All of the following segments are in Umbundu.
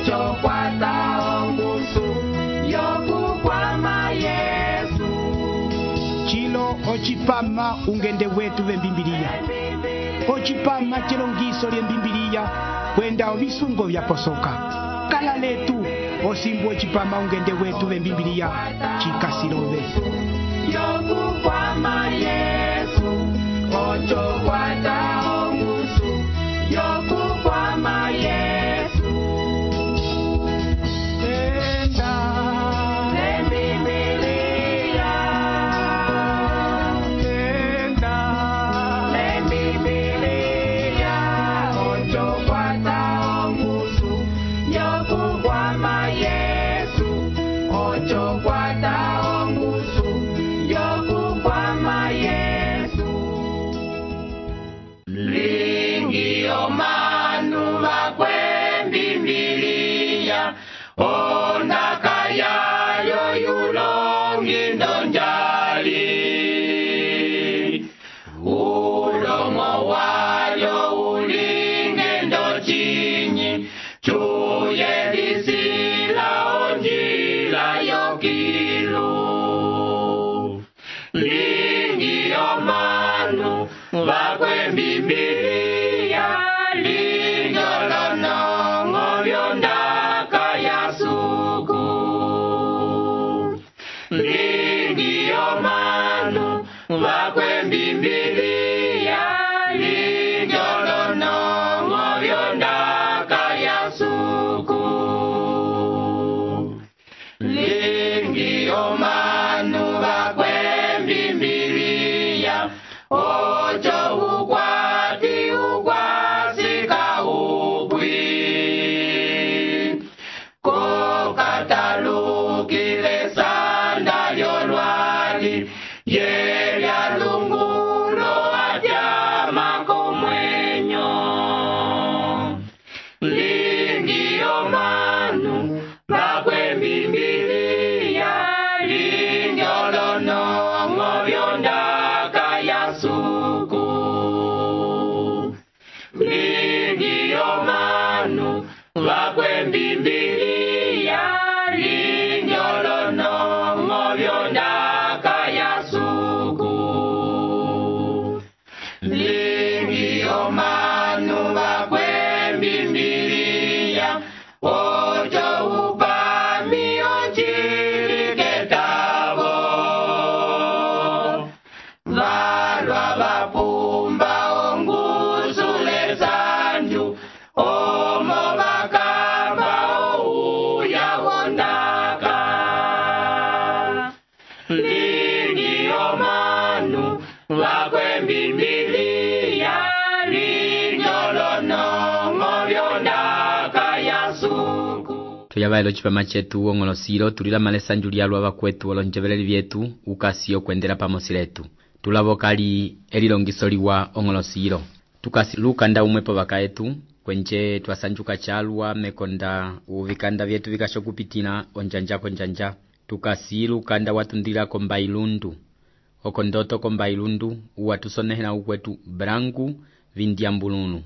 ocho kwata ongusu yokukwama Yesu. Chilo ochipama ungende wetu vembimbiliya. Ochipama chilongiso lyembimbiliya kwenda ovisungo vyaposoka. Kala letu osimbu ochipama ungende wetu vembimbiliya chikasilove. Yokukwama Yesu, ocho kwata ongusu yokukwama Yesu. Enda lembimbiliya, enda lembimbiliya, ocho kwata ongusu yokukwama Yesu, ocho kwata ongusu yokukwama Yesu. Lingi omanu bakwembimbiliya, ondaka yayo yulongi ndonjali. Ulomo wayo ulinge ndochinyi, chuye lisila onjila yokilu. Lingi omanu bakwembimbiliya, linjolonongo byondaka yasuku. Lingi omanu bakwembimbiliya, linjolonongo byondaka yasuku. Lingi omanu bakwembimbiliya, ocho ukwati ukwasika ukwi. Kokatalukile sanda lyolwali, yelya lungulo atyama komwenyo. Lingi omanu bakwembimbiliya, linjolonongo byondaka yasuku. Lingi omanu bakwembimbiliya, linjolonongo byondaka yasuku. Lingi omanu bakwembimbiliya, ocho upami ochiliketavo. Valwa vapumba ongusule sanju, omo bakamba ouya wondaka. Lingi omanu bakwembimbiliya, linjolonongo byondaka yasuku. Tuyabailo chipama chetu ongolosilo tulila malesanju lyalwa bakwetu olonjeveleli vyetu ukasi okwendela pamosi letu. Tulavokali elilongiso liwa ongolosilo. Tukasi lukanda umwepo bakaetu kwenje twasanjuka chalwa mekonda uvikanda vyetu vikasho kupitina onjanja konjanja. Tukasi lukanda watundila kombailundu. Okondoto kombailundu uwatusonehela ukwetu brangu vindiambulunu.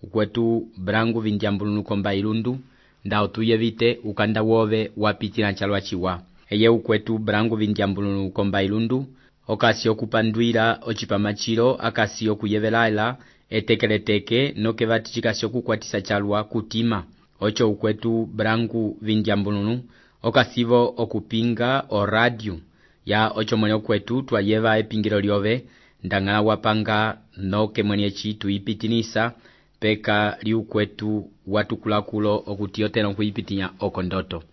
Ukwetu brangu vindiambulunu kombailundu ndao tuyevite ukanda wove wapitina chalwa chiwa. Eye ukwetu brangu vindiambulunu kombailundu okasi okupandwila ochipamachilo akasi okuyevelaila etekeleteke nokevati chikasi okukwatisa chalwa kutima. Ocho ukwetu brangu vindiambulunu okasivo okupinga o radio ya ocho mwenye ukwetu twayeva epingilo lyove ndangala wapanga noke mwenye chitu ipitinisa peka liukwetu watukulakulo okutiotela kuipitinya okondoto.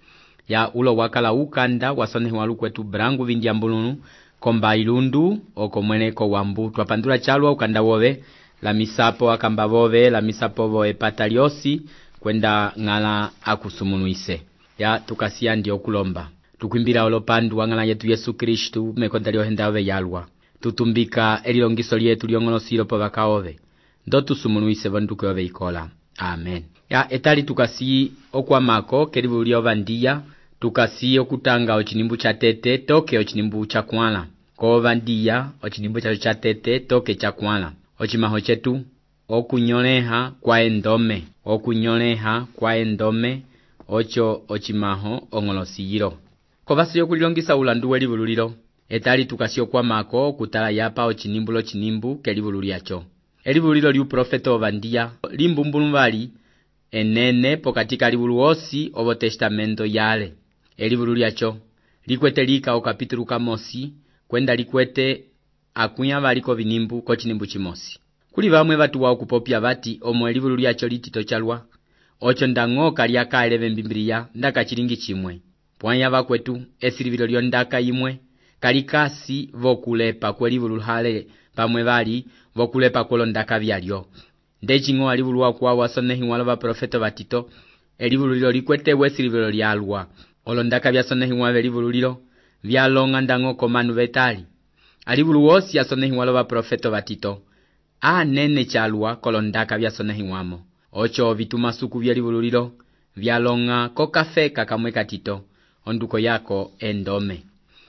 Ya ulo wakala ukanda wasonehi walukwetu brangu vindiambulunu kombailundu okomweneko wambu twapandula chalwa ukanda wove la misapo akamba vove la misapo voe pataliosi kwenda ngala akusumunuise. Ya tukasia ndio kulomba tukwimbira olopandu wangala yetu Yesu Kristu mekonda lyohendave yalwa tutumbika elilongiso lyetu lyongolosilo povakaove ndo tusumunuise vanduke ove ikola. Amen. Ya etali tukasi okwamako kelibu lyovandiya tukasi okutanga ochinimbu cha tete toke ochinimbu cha kwala kovandiya ochinimbu cha tete toke cha kwala ochimaho chetu okunyoleha kwa endome ocho ochimaho ong'olosiyilo. Kovasi yokulilongisa ulandu welivululilo, etali tukasi okwamako kutala yapa ochinimbulo chinimbu kelivulu lyacho. Elivululilo liuprofeta Ovandiya limbumbuluvali enene pokati kalivulu osi ovo testamento yale. Elivulu lyacho likwete lika okapitulu kamosi kwenda likwete akuya valiko vinimbu kochinimbu chimosi. Kuli vamwe vatuwa okupopya vati omo elivulu lyacho litito chalwa ocho ndang'o kaliaka eleve mbimbiliya ndaka chilingi chimwe. Pwanya vakwetu esilivilo lyondaka imwe kalikasi vokulepa kwelivulu hale pamwe vali vokulepa kwolondaka vyalyo. Ndeching'o alivulu wakwawo asonehiwalo vaprofeta vatito elivulu lilo likwete wesilivilo lyalwa. Olondaka vyasonehiwa velivulu lilo vyalonga ndang'o komanu vetali. Alivulu wosi asonehiwalo vaprofeta vatito anene chalwa kolondaka vyasonehiwamo. Ocho vitumasuku vyelivulu lilo vyalonga kokafeka kamwe katito onduko yako endome.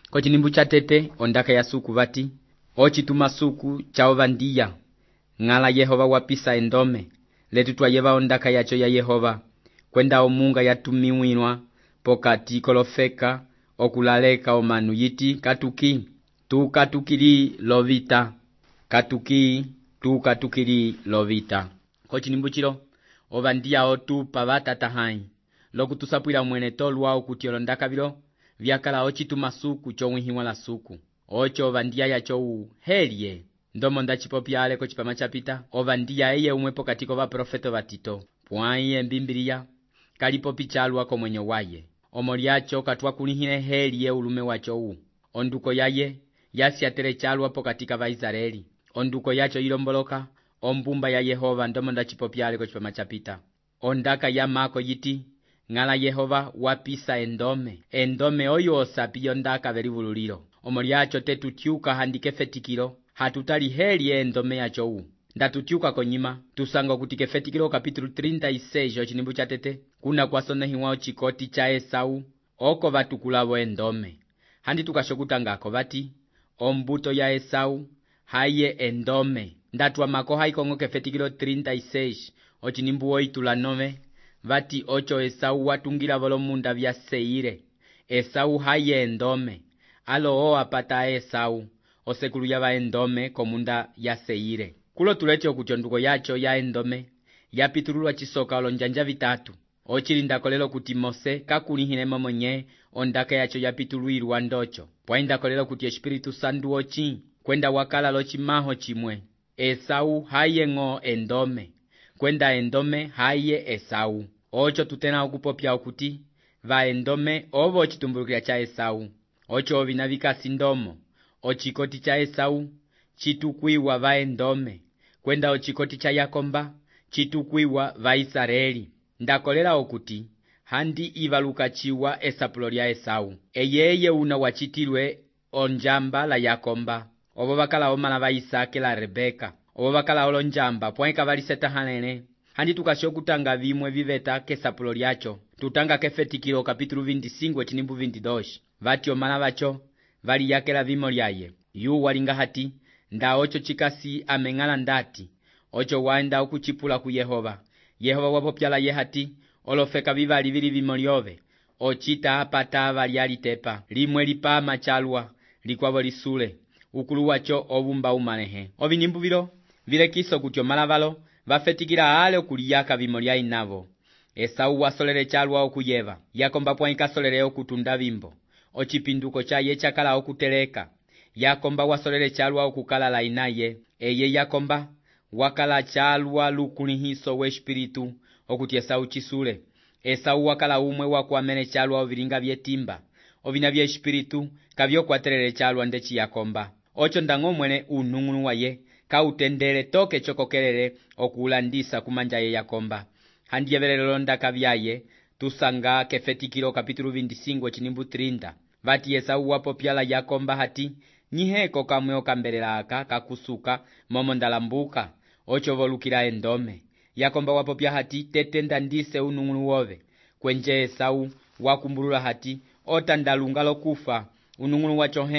Kochinimbu cha tete ondaka ya suku vati ochitumasuku cha Ovandiya ng'ala Yehova wapisa endome letu twayeva ondaka yacho ya Yehova kwenda omunga yatumiwinwa pokati kolofeka okulaleka omanu yiti katuki tukatukili lovita katuki tukatukili lovita. Kochinimbu chilo Ovandiya otupa vatatahai lokutusapwila mwene tolwa okuti olondaka vilo vyakala ochitumasuku chomwihiwa la suku. Ocho Ovandiya yacho helye ndomo ndachipopya ale kochipama chapita Ovandiya eye umwe pokati kova profeta vatito pwaiye mbimbiliya kalipopi chalwa komwenyo waye. Omo lyacho katwakulihile helye ulume wacho onduko yaye yasyatere chalwa pokati kava Israeli. Onduko yacho ilomboloka ombumba ya Yehova ndomo ndachipopya ale kochipama chapita. Ondaka ya mako yiti ng'ala Yehova wapisa endome oyo osapi yondaka velivululilo. Omo lyacho tetutyuka handike fetikilo hatutali helye endome yacho ndatutyuka konyima tusanga kuti kefetikilo kapitulu 36 ochinimbu cha tete kuna kwasonehiwa ochikoti cha Esau oko vatukulavo endome. Handi tukashokutangako vati ombuto ya Esau haye endome ndatwa mako haikong'o kefetikilo 36 ochinimbu oitula 9 vati ocho Esau watungila volomunda vya Seire. Esau haye endome alo apata Esau osekulu yava endome komunda ya Seire. Kulo tulete okuti onduko yacho ya endome yapitululwa chisoka olonjanja vitatu. Ochilinda lelo kuti Mose kakulihile momonye ondaka yacho yapitulwilwa ndocho. Pwainda lelo kuti Espiritu Santu ochi kwenda wakala lochimaho chimwe. Esau haye ng'o endome kwenda endome haye Esau. Ocho tutena okupopya okuti va endome ovo chitumbulukila cha Esau. Ocho vinavikasi ndomo ochikoti cha Esau chitukwiwa va endome kwenda ochikoti cha Yakomba chitukwiwa va Israeli. Ndakolela okuti handi ivaluka chiwa esapulo lya Esau eyeye una wachitilwe onjamba la Yakomba. Ovo vakala omala va Isake la Rebeka ovo vakala olonjamba pwaika valiseta halele. Handi tukashokutanga vimwe viveta kesapulo lyacho tutanga kefetikilo kapitulu 25 chinimbu 22 vati omala vacho valiyakela vimo lyaye. Yu walinga hati nda ocho chikasi ameng'ala ndati ocho waenda okuchipula ku Yehova. Yehova wapopyala ye hati olofeka vivali vili vimo lyove ochita apata valyalitepa limwe lipama chalwa likwavo lisule ukulu wacho ovumba umalehe. Ovinimbu vilo vilekiso kuti omala valo vafetikila ale okuliyaka vimo lya inavo. Esau wasolele chalwa okuyeva Yakomba pwaika solele okutunda vimbo ochipinduko chaye chakala okuteleka. Yakomba wasolele chalwa okukalala inaye eye Yakomba wakala chalwa lukulihiso we Espiritu okuti Esau chisule. Esau wakala umwe wakwamene chalwa ovilinga vyetimba ovina vya Espiritu kavyokwatelele chalwa ndechi Yakomba. Ocho ndang'o mwene unung'unu waye kautendele toke chokokelele okulandisa kumanja ye Yakomba. Handi yevelele londaka vyaye tusanga kefetikilo kapitulu 25 chinimbu 30 vati Esau wapopyala Yakomba hati nyiheko kamwe okambelela aka kakusuka momo ndalambuka ocho volukila endome. Yakomba wapopya hati tetenda ndise unung'unu wove kwenje Esau wakumbulula hati otandalunga lokufa unung'unu wacho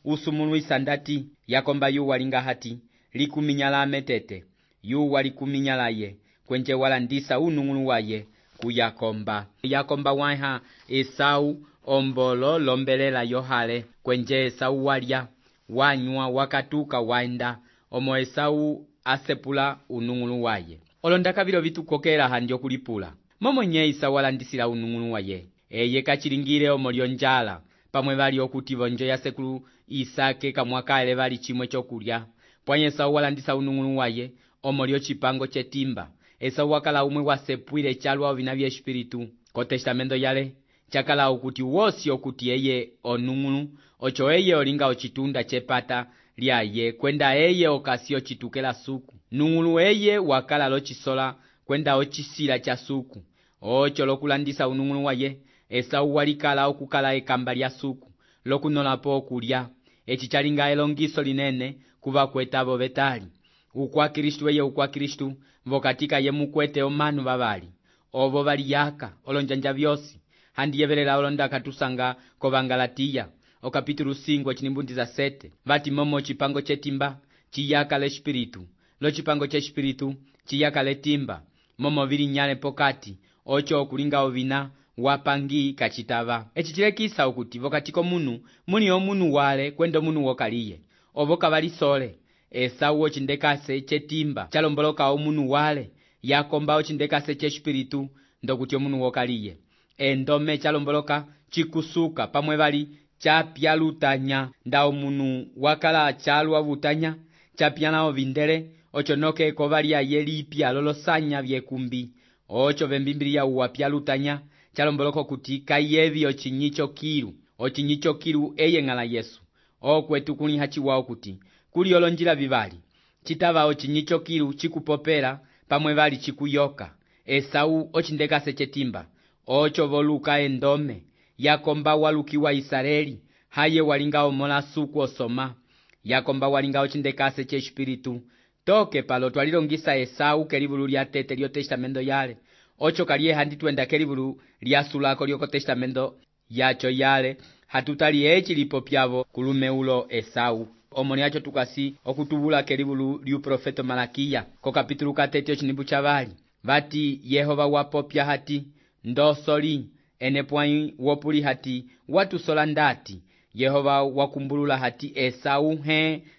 usumulu isandati. Yakomba yu walinga hati likuminyala ametete yu walikuminyala ye kwenje walandisa unung'unu waye kuyakomba. Yakomba waiha Esau ombolo lombelela yohale kwenje Esau walya wanywa wakatuka waenda omo Esau asepula unung'ulu waye. Olondaka vilo vitukokela handi okulipula. Momo nye Esau alandisila unung'ulu waye. Eye kachilingile omo lyonjala pamwe vali okuti vonjo ya sekulu Isake kamwakale vali chimwe chokulya. Pwanye Esau alandisa unung'ulu waye omo lyo chipango chetimba. Esau wakala umwe wasepwile chalwa ovina vya espiritu. Ko testamento yale chakala okuti wosi okuti eye onung'ulu ocho eye olinga ochitunda chepata lyaye kwenda eye okasi ochitukela suku. Nung'ulu eye wakala lochisola kwenda ochisila cha suku. Ocho lokulandisa unung'ulu waye Esau walikala okukala ekamba lya suku lokunolapo okulya. Echi chalinga elongiso linene kuva kwetavo betali. Ukwa Kristu eye ukwa Kristu vokatika ye mukwete omanu vavali. Ovo vali yaka olonjanja vyosi. Handi yevelela olondaka tusanga kovangalatiya okapitulu 5 chinimbundiza 7 vati momo chipango chetimba chiyaka le espiritu lo chipango che espiritu chiyaka le timba momo vili nyale pokati ocho okulinga ovina wapangi kachitava. Echi chilekisa okuti vokatiko munu muni omunu wale kwenda omunu wokaliye ovo kavali sole. Esau ochindekase chetimba chalomboloka omunu wale yakomba ochindekase che espiritu ndokuti omunu wokaliye. Endome chalomboloka chikusuka pamwe vali chapya lutanya nda omunu wakala chalwa vutanya chapya ovindele ocho noke kovali ayelipya lolosanya vyekumbi ocho vembimbilia uwapya lutanya chalomboloka kuti kayevi ochinyicho kilu eye ngala Yesu okwetu kuli hachiwao kuti kuli olonjila vivali chitava ochinyicho kilu chikupopela pamwe vali chikuyoka. Esau ochindekase chetimba ocho voluka endome yakomba walukiwa Israeli haye walinga omola suku osoma. Yakomba walinga ochindekase che espiritu toke palo twalilongisa Esau kelivulu lya tete lyo testamento yale ocho kaliye handi twenda kelivulu lya sulako lyoko testamento yacho yale hatutali echi lipo pyavo kulumeulo Esau. Omoni acho tukasi okutubula kelivulu lyu profeto Malakia ko kapitulu 3 chinimbu chavali vati Yehova wapopya hati ndosoli enepwai wopuli hati watu sola ndati Yehova wakumbulula hati Esau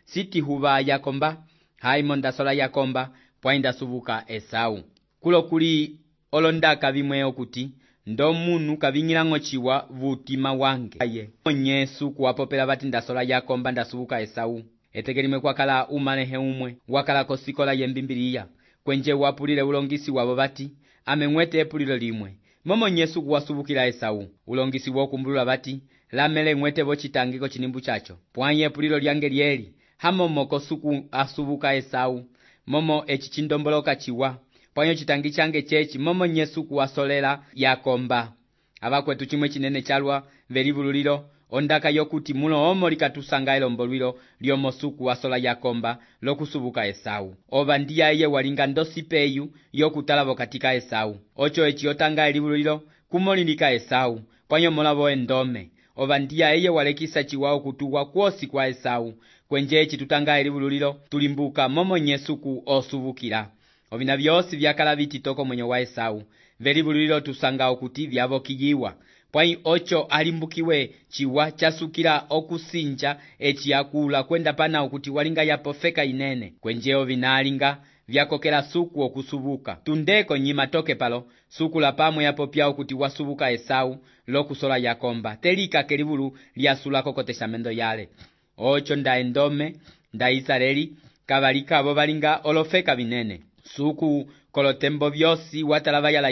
siti huva yakomba haimonda sola yakomba pwainda subuka Esau. Kulo kuli olondaka vimwe okuti ndo munu kavingilango chiwa vutima wange aye onyesu kuwapopela vati ndasola yakomba ndasubuka Esau. Etekelimwe kwakala umalehe umwe wakala kosikola yembimbiliya kwenje wapulile ulongisi wabo vati ameng'wete epulilo limwe momo nyesu kuwasubukila Esau. Ulongisi wokumbulula vati lamele ng'wete vochitangiko chinimbu chacho pwanye epulilo lyange lyeli hamomo kosuku asubuka Esau momo echi chindomboloka chiwa pwanyo chitangi change chechi momo nyesu kuwasolela yakomba. Abakwetu chimwe chinene chalwa velivululilo ondaka yokuti mulo omo likatusanga elombolwilo lyomosuku wasola yakomba lokusubuka Esau. Ova ndiya eye walinga ndosipeyu yokutalavo katika Esau. Ocho echi yotanga elivululilo kumolilika Esau pwanyo molavo endome. Ova ndiya eye walekisa chiwao kutuwa kwosi kwa Esau kwenje echi tutanga elivululilo tulimbuka momo nyesuku osubukila. Ovina vyosi vyakala vititoko mwenye wa Esau velivululilo tusanga okuti vyavokiyiwa pwai ocho alimbukiwe chiwa chasukila okusinja echi yakula kwenda pana okuti walinga yapofeka inene kwenje ovinalinga vyakokela suku okusubuka. Tundeko nyima toke palo suku la pamwe yapopya okuti wasubuka Esau lokusola yakomba telika kelivulu lyasulako ko testamento yale. Ocho nda endome nda Israeli kavalika abo balinga olofeka binene suku kolotembo vyosi watalava ya la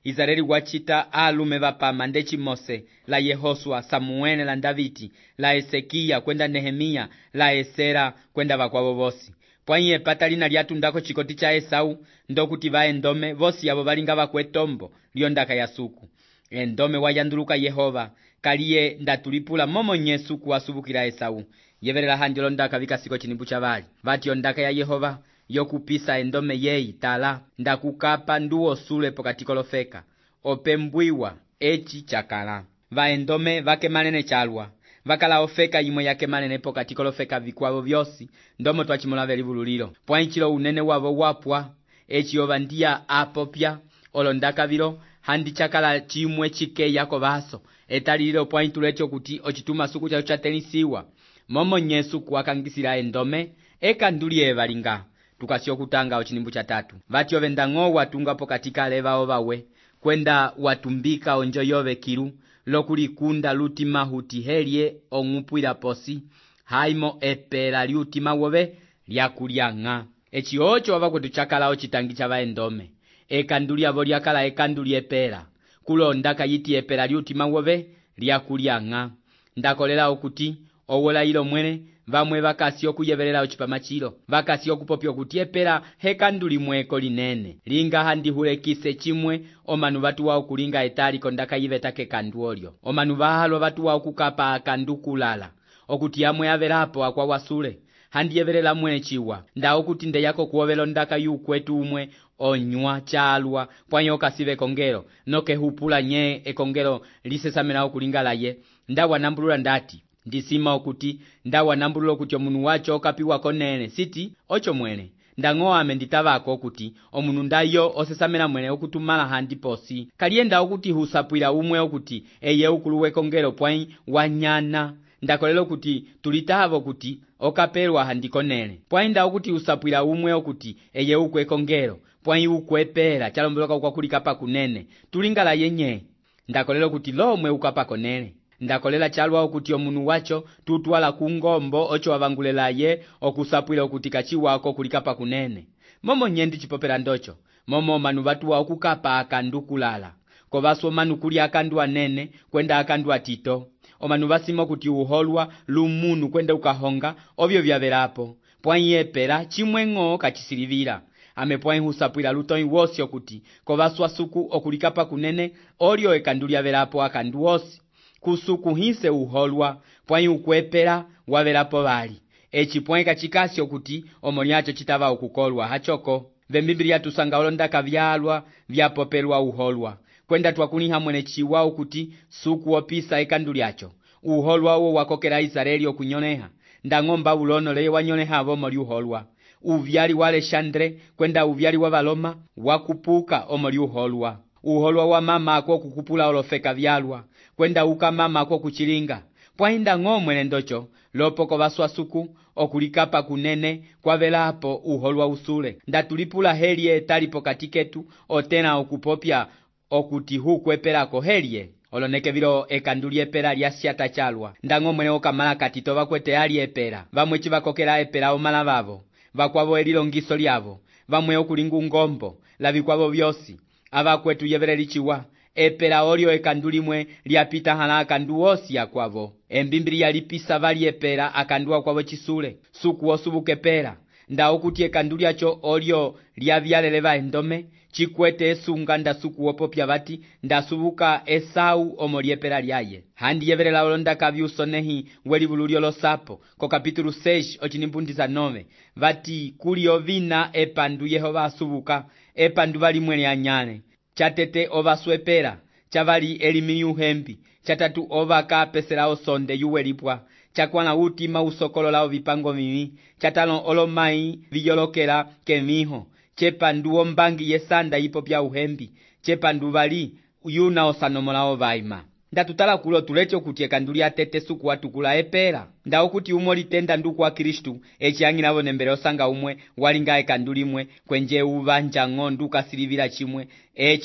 Israeli wachita alume vapama ndechi Mose la Yehosua Samuele la Daviti la Ezekia kwenda Nehemia la Esera kwenda vakwavo vosi. Pwanye patalina lyatundako chikoti cha Esau ndokuti vaendome vosi abo balinga vakwetombo lyondaka ya suku. Endome wayanduluka Yehova kaliye ndatulipula momo nyesu kuwasubukila Esau. Yevelela handi londaka vikasiko chinimbu chavali vati ondaka ya Yehova yokupisa endome yeyi tala ndakukapa nduo sule pokatiko lofeka opembwiwa echi chakala. Vaendome vakemalene chalwa vakala ofeka imwe yakemalene pokatiko lofeka vikwavo vyosi ndomo twachimola velivululilo pwanchilo unene wavo wapwa echi ova ndiya apopya olondaka vilo handi chakala chimwe chikeya kovaso etalililo pwayi tulecho kuti ochituma suku chacho chatelisiwa momo nyesu kuwakangisila endome ekanduli valinga tukasi okutanga ochinimbu cha 3 vati ovenda ng'o watungapo katika leva ovawe kwenda watumbika onjo yove kilu lokulikunda lutima huti helye ong'upwila posi haimo epela liutima wove lyakulyang'a eci ocho wavakwetu chakala ochitangi cha vaendome ekanduli avo lyakala ekanduli epela kulondaka yiti epela liutima wove lyakulyang'a ndakolela okuti owola ilo mwene vamwe vakasi okuyevelela ocipama chilo vakasi okupopya okuti epela hekanduli mweko linene linga handihulekise chimwe omanu vatuwa okulinga etali kondaka yivetake kandu olyo omanu vahalo vatuwa okukapa akandu kulala okuti amwe avelapo akwawasule handiyevelela mwene chiwa nda okuti ndeyako kuovela ondaka yukwetu umwe onywa chalwa pwanyi okasive kongelo nokehupula nye ekongelo lisesamela okulingala ye nda wanambulula ndati ndisima okuti nda wanambulula okuti omunu wacho okapiwa konene siti ocho mwene ndang'o ame nditavako okuti omunu ndayo osesamela mwene okutumala handi posi kalienda okuti husapwila umwe okuti eye ukuluwe kongelo pwanyi wanyana ndakolela okuti tulitavo okuti okapelwa handi konene pwanyi nda okuti usapwila umwe okuti eye ukwe kongelo pwanyi ukwepela chalomboloka ukwakulikapa kunene tulingala yenye ndakolela okuti lomwe ukapa konene ndakolela chalwa okuti omunu wacho tutwala kungombo ocho wavangulela ye okusapwila okuti kachiwako kulikapa kunene momo nyendi chipopela ndocho momo manu vatuwa okukapa akandu kulala kovaso manu kuli akandu anene kwenda akandu atito omanu vasima okuti uholwa lumunu kwenda ukahonga ovyo vyavelapo pwanyi epela chimwe ng'o kachisilivila ame pwanyi husapwila lutonyi wosi okuti kovaswa suku okulikapa kunene olyo ekandu lyavelapo akandu wosi kusuku hise uholwa pwanyi ukwepela wavelapo vali eci pwanyi kachikasi okuti omolyacho chitava ukukolwa hachoko vembimbili tusanga olondaka vyalwa vyapopelwa uholwa kwenda twakuliha mwene chiwa okuti suku opisa ekandu lyacho uholwa uwo wakokela Israeli okunyoneha ndang'omba ulono leye wanyoneha avo moli uholwa uvyali wa Alexandre kwenda uvyali wa Valoma wakupuka omoli uholwa wa mama ako kukupula olofeka vyalwa kwenda uka mama ako kuchilinga pwanyi ndang'o mwene ndocho lopoko vaswa suku okulikapa kunene kwavelapo uholwa usule ndatulipula helye talipo katiketu otena okupopya okuti hukwepelako helye oloneke vilo ekandu lyepela lyasyata chalwa ndang'o mwene okamala katito vakwete ali epela vamwe chivakokela epela omala vavo vakwavo elilongiso lyavo vamwe okulinga ungombo lavikwavo vyosi avakwetu yeveleli chiwa epela olyo ekandu limwe lyapita hala akandu wosi akwavo embimbili yalipisa vali epela akandu akwavo chisule suku osubuke pela nda okuti ekandu lyacho olyo lyavyaleleva endome chikwete esunga ndasuku opopya vati ndasubuka Esau omolyepela lyaye handi yevelela olondaka vyusonehi welivulu lyolosapo ko kapitulu 6 ochinimpundiza 9 vati kuli ovina epandu Yehova asubuka epandu vali mwene anyane chatete ovaswepela chavali elimi yuhembi chatatu ovaka pesela osonde yuwelipwa chakwana utima usokolola ovipango mimi chatalo olomai viyolokela kemiho chepandu ombangi yesanda yipopya uhembi chepandu vali yuna osanomola ovaima ndatutala kulo tulecho kuti ekandu lyatete suku watukula epela nda okuti umo litenda nduku wa Kristu echiyang'ilavo nembele osanga umwe walinga ekandu limwe kwenje uvanja ng'ondu kasilivila chimwe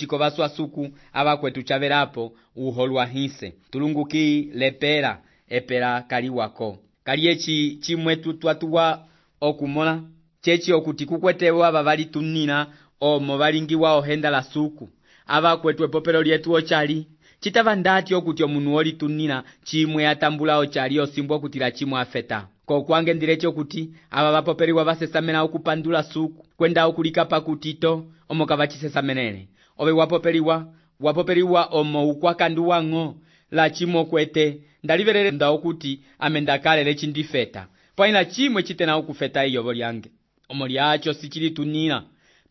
kovaswa suku avakwetu chavelapo uholwa hise tulunguki lepela epela kaliwako kali echi chimwe tutwatuwa okumola chechi okuti kukwetewa ava valitunina omo valingiwa ohenda la suku avakwetu epopelo lyetu ochali chitava ndati okuti omunu olitunina chimwe atambula ochali osimbwa okuti la chimwe afeta kokwange ndilecho okuti ava vapopeliwa vasesamela okupandula suku kwenda okulikapa kutito omo kavachisesamenele ove wapopeliwa omo ukwakandu wang'o la chimwe kwete ndalivelele nda okuti ame ndakalele chindifeta pwanyi la chimwe chitena okufeta iyovo lyange omo lyacho sichilitunina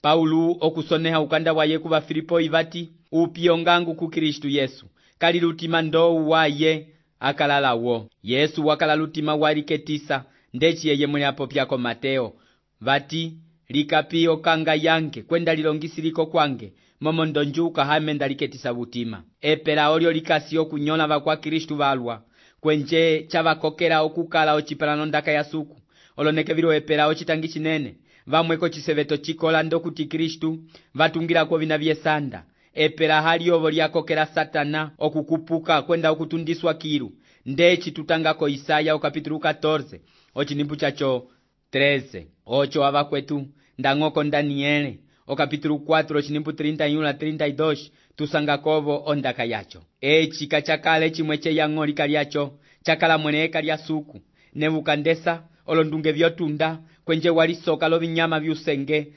Paulu okusoneha ukanda waye kuva Filipo ivati upio ngangu ku Kristu Yesu kali lutima ndou waye akalalawo Yesu wakala lutima waliketisa ndechi yeye mwene apopyako Mateo vati likapio kanga yange kwenda lilongisiliko kwange momo ndonjuka hamenda liketisa butima. Epela olyo likasi okunyola vakwa Kristu valwa, kwenje chavakokela okukala ocipelano ndaka ya suku. Oloneke vilo epela ocitangi cinene, vamweko ciseveto cikola ndokuti Kristu vatungilako vina vyesanda. Epela hali ovo lyakokela Satana okukupuka kwenda okutundiswa kilu. Ndeci tutangako Isaya okapitulu 14 ochinimbu chacho 13. Ocho avakwetu ndangoko Daniele okapitulu 4 ochinimbu 31 na 32 tusangakovo ondaka yacho. Eci kachakale chimwe cheyango likalyacho chakala mwene kalya suku. Nebukadneza olondunge vyotunda kwenje walisoka lo vinyama vyusenge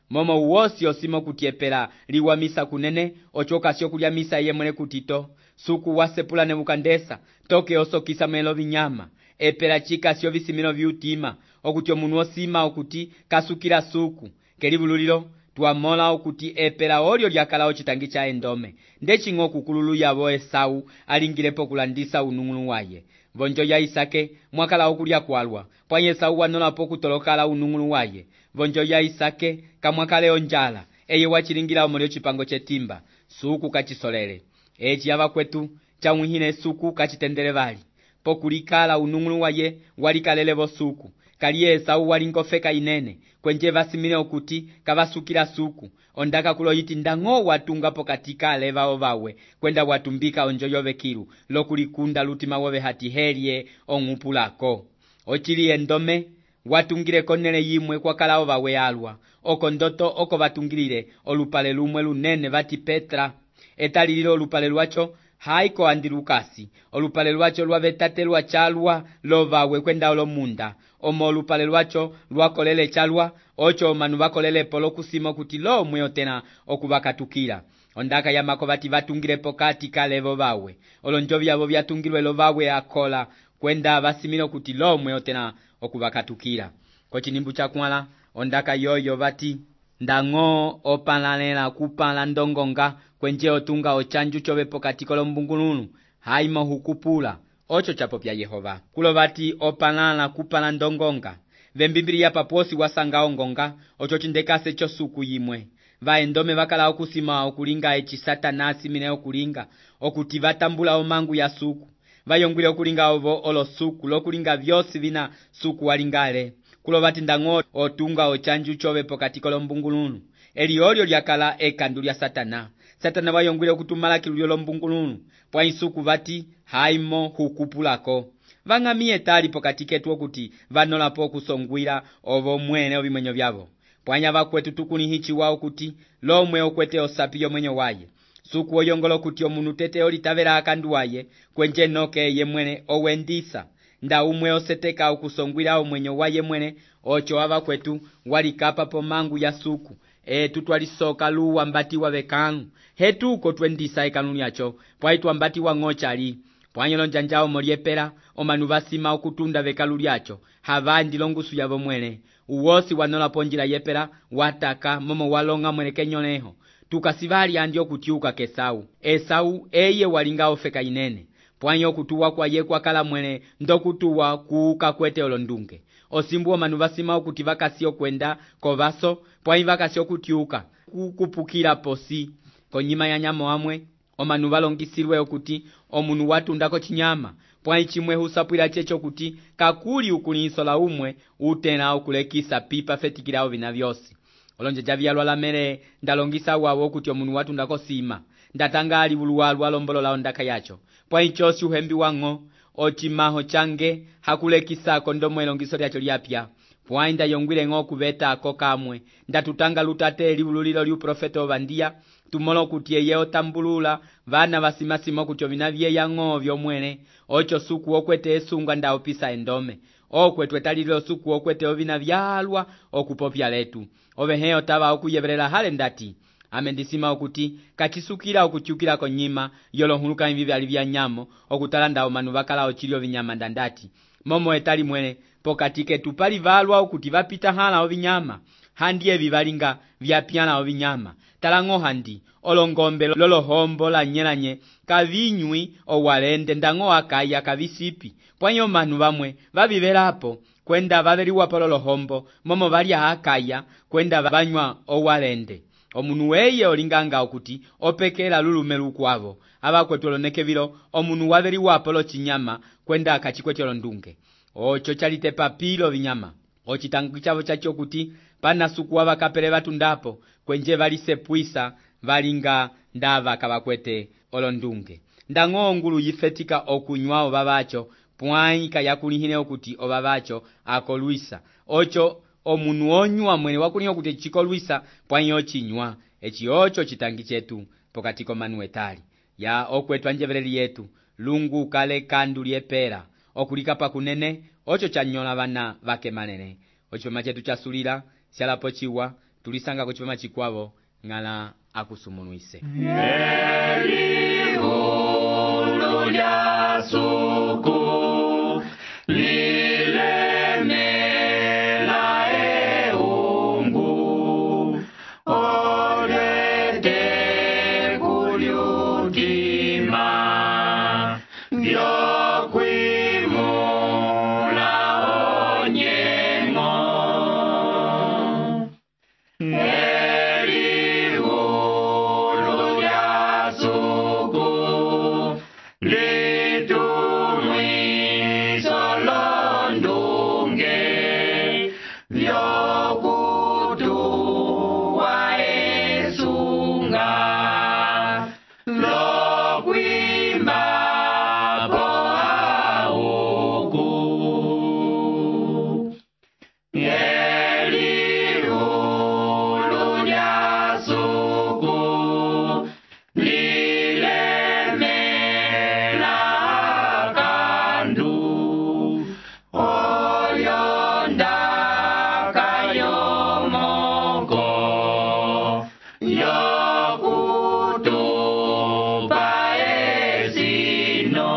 momo uwosi osimo kutiepela liwa misa kunene ochoka sio kulya misa ye mwene kutito suku wasepula Nebukadneza toke osokisa melo vinyama. Epela chika sio visimino vyutima okuti omunu osima okuti kasukila suku kelivululilo tuamola okuti epela olyo lyakala ocitangi cha endome. Ndechingo kukululu yavo Esau alingilepo kulandisa unung'unu waye. Vonjo ya Isake mwakala okulya kwalwa pwanye Esau wanolapo kutolokala unung'unu waye. Vonjo ya Isake kamwakale onjala eye wachilingira omolyo chipango chetimba suku kachisolele. Eci avakwetu chawihine suku kachitendele vali pokulikala unung'unu waye walikalelevo suku. Kaliye Esau walingofeka inene kwenje vasimile okuti kavasukila suku ondaka kuloyiti ndango watunga pokatika alevao vawe kwenda watumbika onjo yove kilu lokulikunda lutima wove hati helye ong'upulako. Ochili endome watungile konele yimwe kwa kalao vawe alwa oko ndoto oko vatungilile olupale lumwe lunene vati Petra. Etalililo olupale lwacho haiko andi Lukasi. Olupale lwacho lwavetate lwachalwa lovawe kwenda olomunda. Omo olupale lwacho lwakolele chalwa ocho manu vakolele polo kusimo kuti lo mweo tena okuvakatukila. Ondaka ya makovati vatungile pokati kalevo vawe. Olonjo vyavo vyatungilwe lo vawe akola kwenda vasimilo kuti lo mweo tena okuvakatukila. Kochinimbu chakwala ondaka yoyo vati ndango opalalela kupala ndongonga kwenje otunga ochanju chove pokati kolombungulunu haimo hukupula ocho chapo pya Yehova. Kulo vati opalala kupala ndongonga vembimbili paposi wasanga ongonga ocho chindekase cho suku yimwe. Vaendome vakala okusima okulinga echi Satanasi mine okulinga okuti vatambula omangu ya suku. Vayongwile okulinga ovo olo suku lokulinga vyosi vina suku walingale. Kulo vati ndango otunga ochanju chove pokati kolombungulunu eli olyo lyakala ekandu lya Satana. Satana vayongwile okutumala kilulyo lombungulunu pwa isuku vati haimo hukupulako. Vang'amiye tali pokati ketu okuti vanolapo okusongwila ovo mwene ovimenyo vyavo. Pwanya vakwetu tukuni hichi wao kuti lomwe okwete osapi yomwenyo waye. Suku oyongolo kuti omunu tete olitavela akandu waye kwenje noke ye mwene owendisa. Nda umwe oseteka okusongwila omwenyo waye mwene ocho avakwetu walikapa po mangu ya suku. Tutwalisoka luwa mbati wa vekanu. Hetuko twendisa ekanuni yacho pwaitu ambati wa ngochali. Pwanyelo njanjao moliepera omanu vasima okutunda vekalu lyacho havandi longusu yavo mwene. Uwosi wanola ponjila yepera wataka momo walonga mwene kenyoleho. Tukasivali andi okutiuka kesau. Esau eye walinga ofeka inene. Pwanyo kutuwa kwa ye kwa kala mwene ndokutuwa kuuka kwete olondunge. Osimbu omanu vasima okuti vakasio kwenda kovaso pwanyi vakasio kutiuka kukupukila posi. Konyima ya nyamo amwe omanu valongisilwe okuti omunu watundako chinyama pwanyi chimwe husapwila checho kuti kakuli ukulinsola umwe utena okulekisa pipa fetikilao vina vyosi. Olonje javyalwa lamere ndalongisa wawo okuti omunu watundako sima ndatanga ali uluwalu alombolola ondaka yacho pwanyi chosi uhembi wango ochimaho change hakulekisa kondomo elongiso lyacho lyapya. Pwanyi ndayongwile ngo kuveta ako kamwe ndatutanga lutate liululilo liu profeta ovandia tumolo kuti eye otambulula vana vasimasimo kuti ovina vyeya ng'ovyo mwene ocho suku okwete esunga nda opisa endome okwetwe talililo suku okwete ovina vyalwa okupopya letu oveheo tava okuyevelela hale ndati amendisima okuti kachisukila okuchukila konyima yolohuluka imvivi alivya nyamo okutalanda omanu vakala ochilio vinyama ndandati momo etali mwene pokatike tupali valwa okuti vapita hala ovinyama handi evi valinga vyapyana ovinyama talango handi olongombe lolohombo la nyelanye kavinywi owalende ndango akaya kavisipi pwanyo manu vamwe vavivelapo kwenda vaveliwa polo lohombo momo valia akaya kwenda vanywa owalende omunu weye olinganga okuti opekela lulume lukwavo abakwetu olonekevilo omunu waveri wapolo chinyama kwenda akachikwetelo ndunge ocho chalitepa pilo vinyama ochitangu chavo chacho kuti panasukuwa vakapele vatundapo kwenje valisepwisa valinga ndava kavakwete olondunge ndang'o ngulu yifetika okunywa ova vacho pwaika yakulihine okuti ova vacho akolwisa ocho omunu onywa mwene wakuliha okuti chikolwisa pwanyo chinywa echi ocho chitangi chetu pokati komanu etali ya okwetwa njeveleli yetu lungu kale kandu lyepera okulikapa kunene ocho chanyola vana vake manene ochipama chetu chasulila syalapo chiwa tulisanga kuchipama chikwavo ng'ala akusumunuise Eliulu lya suku lilemela eungu olete kulyutima vyokwimula onyengo Eliulu lya suku litumwiso londunge vyokutuwa esunga lokwimba po auku Eliulu lya suku lilemela kandu oyonda kayomoko yokutupa esino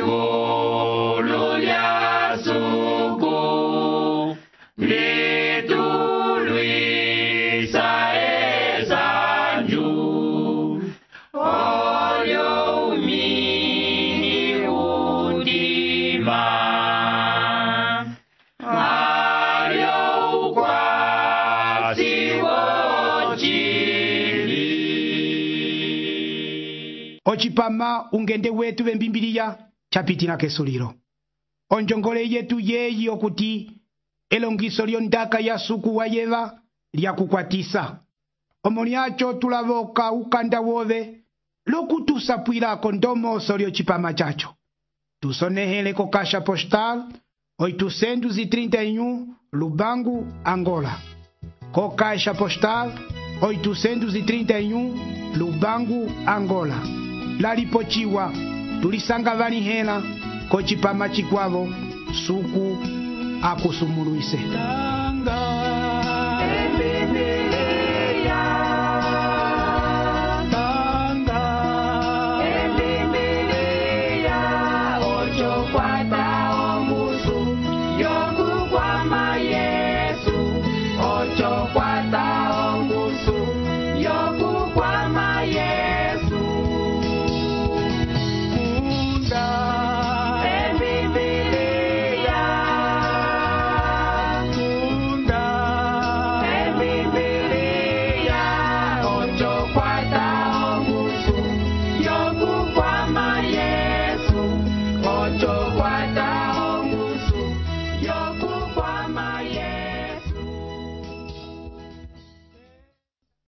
Eliulu lya suku litulwisa esanju olyo umini udima alyo ukwasi wochili ochipama ungende wetu vembimbiliya chapitila kesulilo onjongole yetu yeyi okuti elongiso lyondaka ya suku wa yeva lyakukwatisa omo lyacho tulavoka ukanda wove lokutusapwilako ndomoso lyocipama chacho tusonehele ko kasha postal 831 Lubangu, Angola. Ko kasha postal 831 Lubangu, Angola. Lalipochiwa tulisanga vanihela ko chipama chikwavo suku akusumuluise. Ocho, cuatro.